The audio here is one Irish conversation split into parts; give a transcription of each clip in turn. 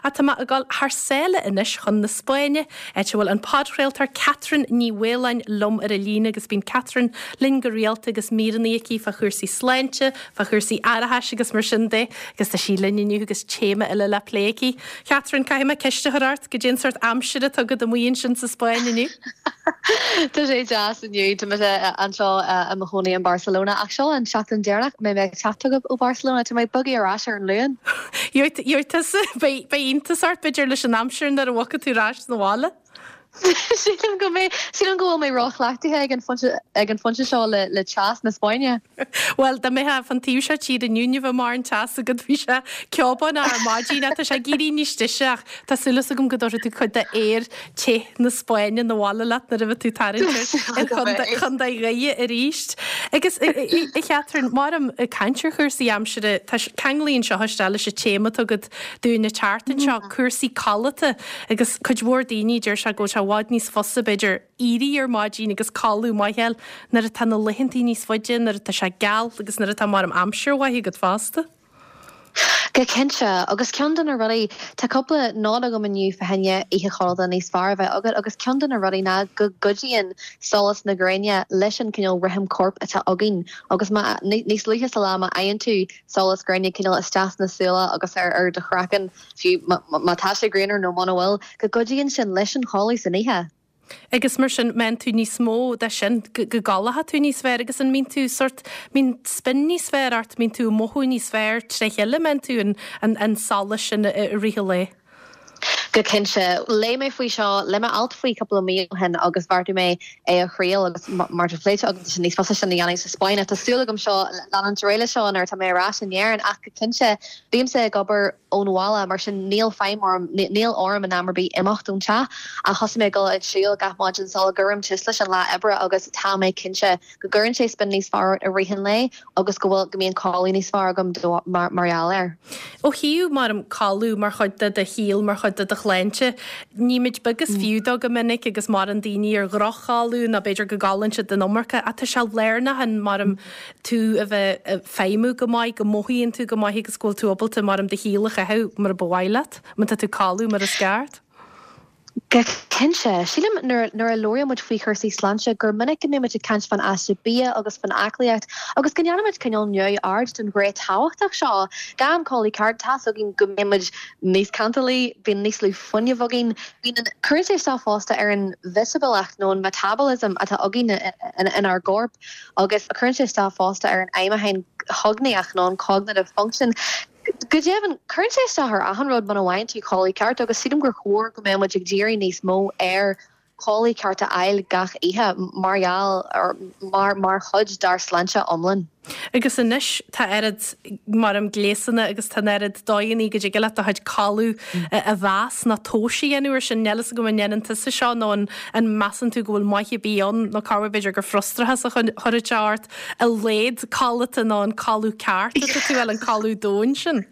Ach tá mé ag dul thar sáile anois chun na Spáinne, áit a bhfuil an podchraoltóir Catherine Ní Mhaoláin liom ar an líne agus bíonn Catherine linn go rialta agus míreanna aici fá chúrsaí sláinte, fá chúrsaí aireachais agus mar sin de agus tá sí linn inniu agus téama eile le plé aici. Catherine, caithfidh mé ceist a chur ort, goidé an sórt aimsire atá agat amuigh ansin sa Spáinn inniu? Tá sé deas inniu, tá mise anseo i mo chónaí in Barcelona ach seo an seachtain deireanach a mbeidh mé ag teacht chugaibh ó Barcelona, tá mé ag bogadh ar ais ar an Luan. Gheobhaidh tusa, beidh iontas ort b'fhéidir leis an aimsir nuair a bhogfaidh tú ar ais 'na bhaile. Sílim go mbeidh, sílim go bhfuil mé róchleachtaithe ag an phointe, ag an phointe seo le, le teas na Spáinne. Bhuel, dá mbeifeá fán taobh seo tíre inniu, ní bheadh mórán teas agat, bhí sé ceobánach ar maidin ach tá sé ag éirí níos deise ach tá súil agam go dtabharfaidh tú cuid de aer te na Spáinne 'na bhaile leat nuair a bheidh tú tarraingt ar Chontae Dhoire arís. Agus, a Chatherine, maram ag caint ar chúrsaí aimsire, tá, ceanglaíonn seo isteach leis an téama atá agat dúinn an tseachtain seo, cúrsaí codlata. Agus cuid mhór daoine, deir sé go bhfuil sé i bhfad níos fusa, b'fhéidir, éirí ar maidin agus codladh maith a fháil nuair atá na laethantaí níos faide, nuair atá sé geal agus nuair atá maram aimsir mhaith agat fosta. Go cinnte, agus ceann de na rudaí, tá cúpla nod agam inniu fá choinne oíche chodlata níos fearr a bheith agat agus ceann de na rudaí ná go gcuidíonn solas na gréine leis an cineál rithim coirp atá againn agus má, níos luaithe sa lá má fhaigheann tú solas gréine cineál isteach sna súile agus ar do chraiceann, fiú má tá sé grianmhar nó muna bhfuil, go gcuidíonn sin leis an chodladh san oíche. Agus mar sin, mbíonn tú níos mó de sin, go gcodlóidh tú níos fearr agus an mbíonn tú sórt, mbíonn spin níos fearr ort, mbíonn tú ag mothú níos fearr tré chéile, mbíonn tú an an solas sin i rith an lae. Go cinnte. Léigh mé faoi seo, léigh mé alt faoi cúpla mí ó shin agus bheartaigh mé é a thriail agus mar tá pléite agam tá sé níos fusa sin a dhéanamh sa Spáinn ach tá súil agam seo leanúint ar aghaidh leis seo nuair atá mé ar ais in Éirinn ach go cinnte bímse ag obair ón bhaile, mar sin níl feidhm orm, níl orm in am ar bith imeacht ón teach. Ach thosaigh mé ag dul ag siúl gach maidin sula gcuirim tús leis an lá oibre agus tá mé cinnte go gcuireann sé spin níos fearr ort i rith an lae agus go bhfuil, go mbíonn codladh níos fearr agam mar gheall air. Ó thaobh, maram, codladh mar chuid de do shaol, mar chuid de do shláinte, nímid beag is fiú dó go minic agus maireann daoine ar dhroch-chodladh nó b'fhéidir go gcodlaíonn siad an iomarca ach tá sé lárnach in, maram, tú a bheith ag feidhmiú go maith, go mothaíonn tú go maith agus go bhfuil tú ábalta, maram, do shaol a chaitheamh mar a ba mhaith leat, má tá tú ag codladh mar is ceart. Go cinnte. Sílim nuair a labhraíonn muid faoi chúrsaí sláinte gur minic go mbíonn muid ag caint fán aiste bia agus fán aclaíocht agus go ndéanann muid cineál neamhaird den ghné tábhachtach seo. Gan codladh ceart, tá's againn go mbíonn muid níos cantalaí, bíonn níos lú fuinnimh againn, bíonn an, cuireann sé isteach fosta ar an mheitibileacht nó an metabolism atá againn inár gcorp. agus cuireann sé isteach fosta ar an fheidhmiúchán chognaíoch nó an cognitive function. Go deimhin, cuireann sé isteach ar achan rud muna bhfaigheann tú codladh ceart agus sílim gur chóir go mbeadh muid ag díriú níos mó ar chodladh ceart a fháil gach oíche mar gheall ar mar mar chuid dár sláinte iomlán. Agus anois tá oiread, maram, gléasanna agus tá an oiread dóigheanna go dtig leat do chuid codladh a mheas nó tomhas a dhéanamh ar sin. Níl fhios agam an ndéanann tusa seo nó an an measann tú go bhfuil maith ar bith ann nó corruair b'fhéidir gur frustrachas a chuirfeadh sé ort a laghad codlata nó an codladh ceart atá tú a fháil, an codladh domhain sin.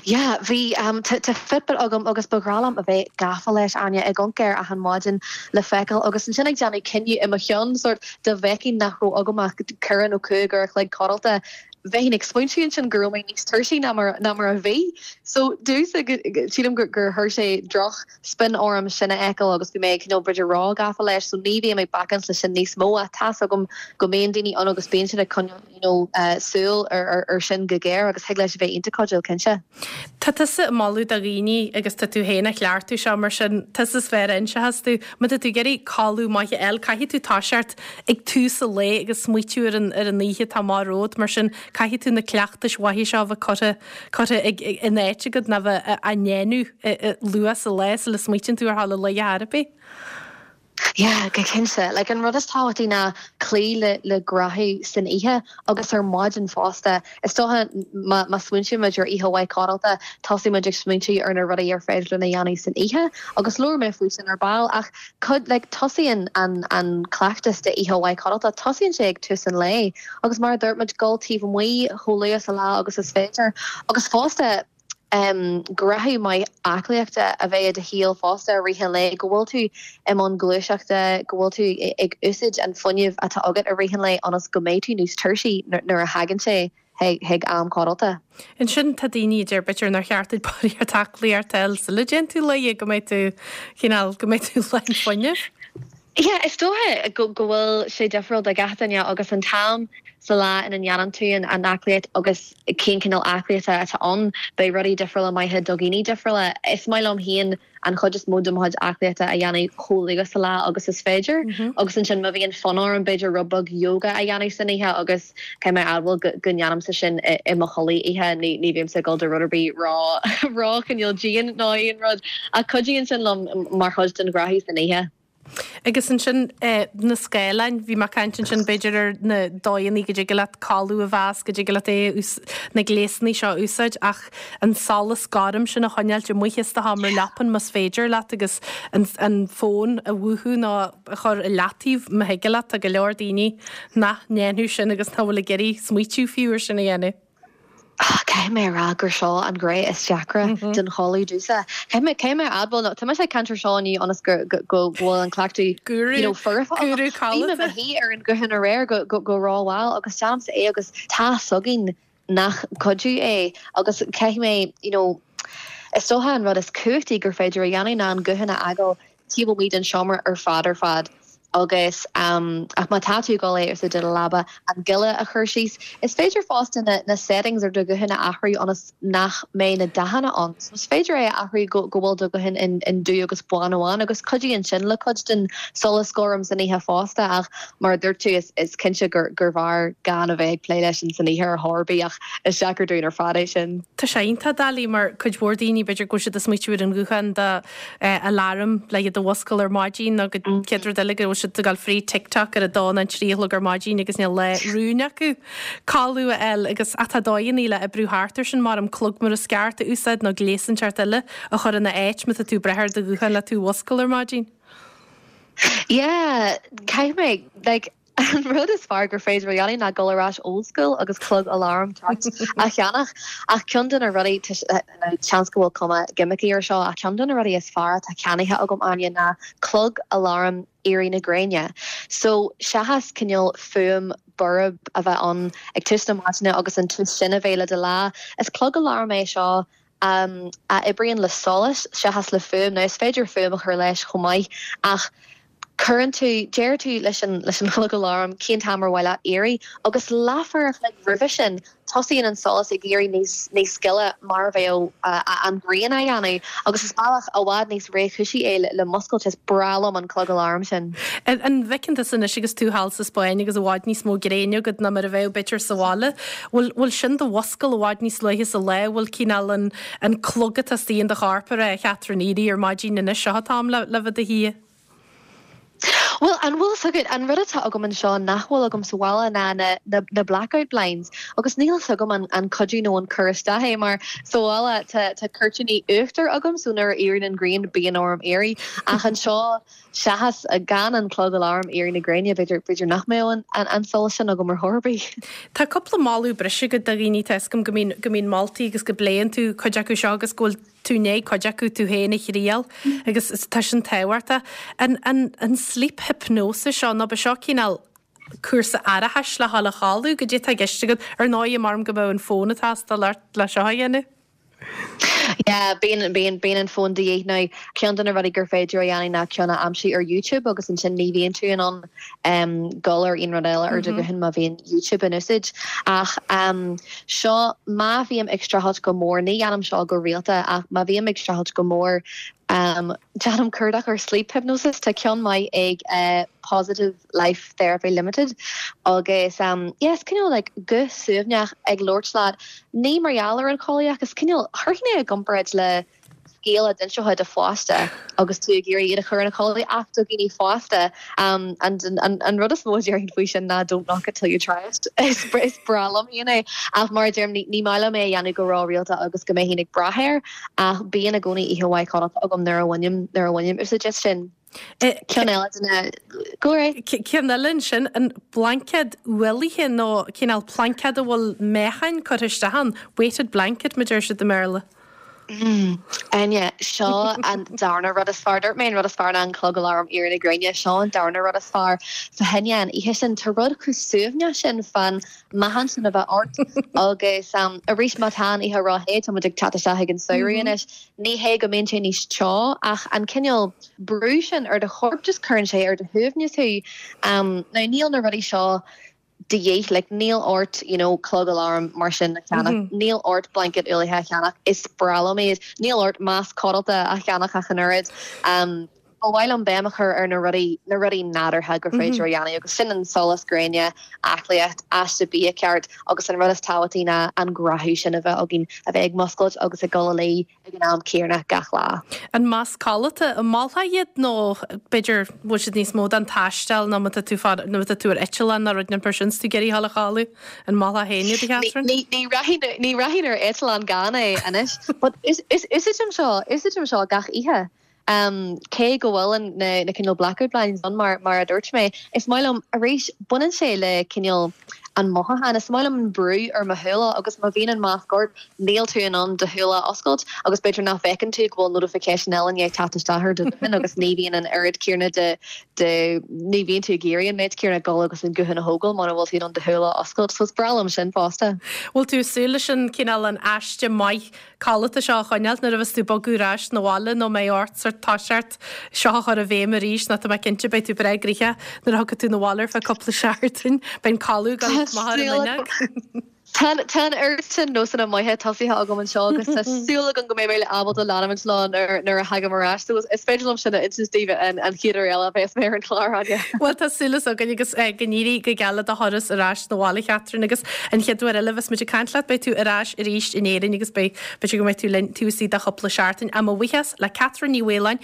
Yeah, bhí, tá Fitbit agam agus ba ghnách liom a bheith gafa leis, Áine, ag amharc air achan maidin le feiceáil agus ansin ag déanamh cinneadh i mo cheann, sórt, dá bhfeicfinn nach raibh agam ach ceithre nó cúig uair a chloig codlata, bheinn ag smaointiú ansin go raibh mé níos tuirsí ná mar, ná mar a bhí. So, domhsa, sílim gur, gur chuir sé droch spin orm sin a fheiceáil agus bhí mé cineál b'fhéidir ró-ghafa leis, so ní bhím ag bacaint leis sin níos mó ach tá's agam go mbíonn daoine ann agus bíonn siad ag coinneáil you know súil ar sin go géar agus thig leis a bheith iontach cuidiúil, cinnte. Tá tusa ag moladh do dhaoine agus tá tú féin á chleachtadh seo mar sin tusa is fearr a inseochas tú. Má tá tú ag iarraidh codladh maith a fháil caithfidh tú toiseacht ag tús an lae agus smaoitiú ar an ar an oíche atá amach romhat mar sin caithfidh tú na cleachtais mhaithe seo a bheith curtha curtha ag in áit agat nó bheith á ndéanamh luath sa lá sula smaoitíonn tú ar dhul a luí ar chor ar bith. Yeah, go cinnte. Like, an rud is tábhachtaí ná cloí le le gnáthamh san oíche agus ar maidin fosta. Is dócha má má smaointíonn muid ar oíche mhaith codlata, tosaíonn muid ag smaointiú ar na rudaí ar féidir linn a dhéanamh san oíche agus labhróidh mé faoi sin ar ball ach cuid like tosaíonn an an cleachtas de oíche mhaith codlata, tosaíonn sé ag tús an lae agus mar a dúirt muid, dul taobh amuigh chomh luath sa lá agus is féidir agus fosta gnáthamh maith aclaíochta a bheith i do shaol fosta i rith an lae, go bhfuil tú i mbun gluaiseachta, go bhfuil tú ag úsáid an fuinnimh atá agat i rith an lae ionas go mbeidh tú níos tuirsí nuair a thagann sé. Chuig am codlata. Ansin tá daoine a deir b'fhéidir nár cheart duit barraíocht aclaíochta a fháil sula dtéann tú luí go mbeidh tú, cineál, go mbeidh tú lán fuinnimh. Yeah, is dócha go bhfuil sé difriúil do gach duine agus an t-am sa lá ina ndéanann tú an aclaíocht agus cén cineál aclaíochta atá ann, beidh rudaí difriúla maithe do dhaoine difriúla. Is maith liom féin an chuid is mó de mo chuid aclaíochta a dhéanamh chomh luath sa lá agus is féidir agus ansin má bhíonn fonn orm b'fhéidir rud beag yoga a dhéanamh san oíche agus caithfidh mé a admháil go go ndéanaimse sin i mo chodladh oíche, ní ní bhímse ag dul do rud ar bith ró ró chineál dian ná aon rud ach cuidíonn sin liom mar chuid den ghraithí san oíche. Agus ansin na scáileáin, bhí mé ag caint ansin b'fhéidir ar na dóigheanna go dtig leat codladh a mheas, go dtig leat é, na gléasanna seo a úsáid ach an solas gorm sin a choinneáilt amuigh as do sheomra leapan más féidir leat agus an an fón a mhúchadh nó a chur i leataobh má thig leat. Tá go leor daoine nach ndéanfadh sin agus nach bhfuil ag iarraidh smaoitiú fiú ar sin a dhéanamh. Caithfidh mé a rá gur seo an ghné is deacra den chodladh domhsa. Caithfidh mé, caithfidh mé a admháil, nó tá mise ag caint ar seo inniu ionas go, go, go bhfuil an cleachtadh, you know, foirfe agam. Bhí mé i mo shuí ar an ghuthán aréir go, go, go rómhall agus déanaimse é agus tá a fhios againn nach cuidiú é agus caithfidh mé, you know, is dócha an rud is cumhachtaí gur féidir a dhéanamh ná an guthán a fhágáil taobh amuigh den seomra ar fad ar fad agus ach má tá tú ag dul é a úsáid i do leaba, an gile a chur síos. Is féidir fosta na na settings ar do ghuthán a athrú ionas nach mbeidh na dathanna ann. So is féidir é a athrú go go bhfuil do ghuthán in in dubh agus bán amháin agus cuidíonn sin le cuid den solas gorm san oíche fosta ach mar a dúirt tú is is cinnte gur gurbh fhearr gan a bheith ag plé leis sin san oíche ar chor ar bith ach is deacair dúinn ar fad é sin. Tá sé iontach doiligh mar cuid mhór daoine b'fhéidir go bhfuil siad ag smaoitiú ar an ghuthán do aláram le iad a mhuscail ar maidin nó go chéad rud eile go bhfuil siad ag dul fríd TikTok ar a dó nó trí a chlog ar maidin agus níl lá rúin acu codladh a fháil agus ach tá dóigheanna le oibriú thart ar sin mar an clog mar is ceart a úsáid nó gléas inteacht eile a chur ina áit má tá tú ag brath ar do ghuthán le tú a mhuscail ar maidin. Yeah, caithfidh mé, like, An rud is fearr gur féidir a dhéanamh ná dul ar ais old school agus clog aláraim ceart a cheannach. Ach ceann de na rudaí, seans go bhfuil cuma gimmicky ar seo, ach ceann de na rudaí is fearr atá ceannaithe agam, Áine, ná clog aláraim éirí na gréine. So, seachas cineál fuaim borb a bheith ann ag tús na maidine agus an tús sin a bheith le do lá, is clog aláraim é seo a oibríonn le solas seachas le fuaim. Now is féidir fuaim a chur leis chomh maith ach cuireann tú, deir tú leis an leis an chlog aláraim cén t-am ar mhaith leat éirí agus leathuair a chloig roimhe sin tosaíonn an solas ag éirí níos níos gile mar a bheadh an ghrian á dhéanamh agus is bealach i bhfad níos réchúisí é le muscailt. Is breá liom an clog aláraim sin. An bhfeiceann tusa anois agus tú thall sa Spáinn agus i bhfad níos mó gréine agat ná mar a bheadh b'fhéidir sa bhaile, bhfuil bhfuil sin do mhuscail i bhfad níos luaithe sa lá, bhfuil cineál an an clog atá istigh in do chorp ag rá, a Chatherine, éirigh ar maidin anois, seo an t-am le le bheith i do shuí. Bhuel, an bhfuil 'fhios agat, an rud atá agam anseo nach bhfuil agam sa bhaile ná na na na blackout blinds agus níl 'fhios agam an an cuidiú nó an cur isteach é mar sa bhaile tá tá cuirtíní uachtair agam so nuair a éiríonn an ghrian bíonn orm éirí ach anseo Seachas gan an clog aláraim éirí na gréine, b'fhéidir, b'fhéidir nach mbeadh an, an, an solas sin agam ar chor ar bith. Tá cúpla moladh breise agat do dhaoine, tá 'fhios agam go mbíonn, go mbíonn moltaí agus go bpléann tú cuid acu seo agus go bhfuil tú i ndiaidh cuid acu tú féin a thriail agus tá sin tábhachtach. An, an, an sleep hypnosis seo, nó ba seo cineál cúrsa aireachais le dhul a chodladh, goidé atá i gceist agat? Ar ndóigh, maram go mbeadh an fón ag teastáil ort le seo a dhéanamh. Yeah, bíonn, bíonn, bíonn an fón de dhíth. Now, ceann de na rudaí gur féidir a dhéanamh ná ceann a aimsiú ar YouTube agus ansin ní bhíonn tú in ann um, dul ar aon rud eile ar do ghuthán má bhíonn YouTube in úsáid. Ach um, seo, má bhím ag streachailt go mór, ní dhéanaim seo go rialta, ach má bhím ag streachailt go mór, um, déanaim cuardach ar sleep hypnosis. Tá ceann maith ag uh, Positive Life Therapy Limited agus um, yes, cineál like guth suaimhneach ag labhairt leat Ní mar gheall ar an chodladh ach is cineál, chuirfinn é i gcomparáid le scéal a d'inseofá do pháiste agus tú ag iarraidh iad a chur ina chodladh ach do dhaoine fásta. An rud is mó a déarfainn faoi sin ná don't knock it till you try it. Is breá liom féin é ach mar a deirim ní maith liom é a dhéanamh go ró-rialta agus go mbeinn ag brath air ach bíonn i gcónaí oíche mhaith codlata agam nuair a bhainim nuair a bhainim úsáid as sin. Ceann eile de na, go raibh. Ceann eile ansin, an blaincéad ualaithe nó cineál plaincéad a bhfuil meáchain curtha isteach ann, weighted blanket mar a deir siad i mBéarla. Áine, Seo an darna rud is fearr. Dúirt mé an rud is fearr ná an clog aláraim éirí na gréine. Seo an darna rud is fearr. Fá choinne an oíche sin, tá rud chomh suaimhneach sin fán meáchan sin a bheith ort agus arís má tá an oíche ró-the, tá muid ag teacht isteach ag an samhradh anois, ní hé go mbíonn sé níos teo ach an cineál brú sin ar do chorp just cuireann sé ar do shuaimhneas thú. Now níl na rudaí seo de dhíth, like níl ort you know clog aláraim mar sin a cheannach, níl ort blanket ualaithe a cheannach, is breá liom iad, níl ort masc codlata a cheannach ach an oiread. Ba mhaith liom béim a chur ar na rudaí, na rudaí nádúrtha gur féidir a dhéanamh agus sin an solas gréine, aclaíocht, aiste bia ceart agus an rud is tábhachtaí ná an gnáthamh sin a bheith againn, a bheith ag muscailt agus ag dul a luí ag an am céanna gach lá. An masc codlata, an molfá iad nó b'fhéidir bhfuil siad níos mó don taisteal nó má tá tú fad, nó má tá tú ar eitleán nó rud mar sin is tú ag iarraidh a dhul a chodladh, an molfá féin iad a Chatherine? Ní, ní rachainn, ní rachainn ar eitleán gan é anois. But úsáidim seo, úsáidim seo gach oíche. Cé go bhfuil an, na, na cineál blackout blinds ann mar, mar a dúirt mé, is maith liom, arís, baineann sé le cineál an mothúchán, is maith liom an brú ar mo shúile agus má bhíonn an masc ort, níl tú in ann do shúile a oscailt agus b'fhéidir nach bhfeiceann tú go bhfuil notification eile i ndiaidh teacht isteach ar do ghuthán agus ní bhíonn an oiread céanna de, de, ní bhíonn tú ag iarraidh an méid céanna dul agus an guthán a thógáil mura bhfuil tú in ann do shúile a oscailt. So is breá liom sin fosta. Bhfuil tú ag súil leis an cineál an aiste maith codlata seo a choinneáilt nuair a bheas tú ag bogadh ar ais 'na bhaile nó an mbeidh ort sort toiseacht seo a chur i bhfeidhm arís nó tá mé cinnte beidh tú breá gnoitheach nuair a thiocfaidh tú 'na bhaile ar feadh cúpla seachtain. Beidh an codladh ag dul amach ar an bhfuinneog. Tá an oiread sin nósanna maithe tosaithe agam anseo agus tá súil agam go mbeidh mé ábalta leanúint leo nuair a thagaim ar ais. So is féidir liom sin a insint daoibh an chéad uair eile a bheas mé ar an chlár, Áine. Bhuel tá súil againn agus go n-éirí go geal le do thuras ar ais 'na bhaile, Catherine, agus an chéad uair eile a bheas muid ag caint leat beidh tú ar ais arís in Éirinn agus beidh, b'fhéidir go mbeidh tú linn taobh istigh de chúpla seachtain. Ach mo bhuíochas le Catherine Ní Mhaoláin.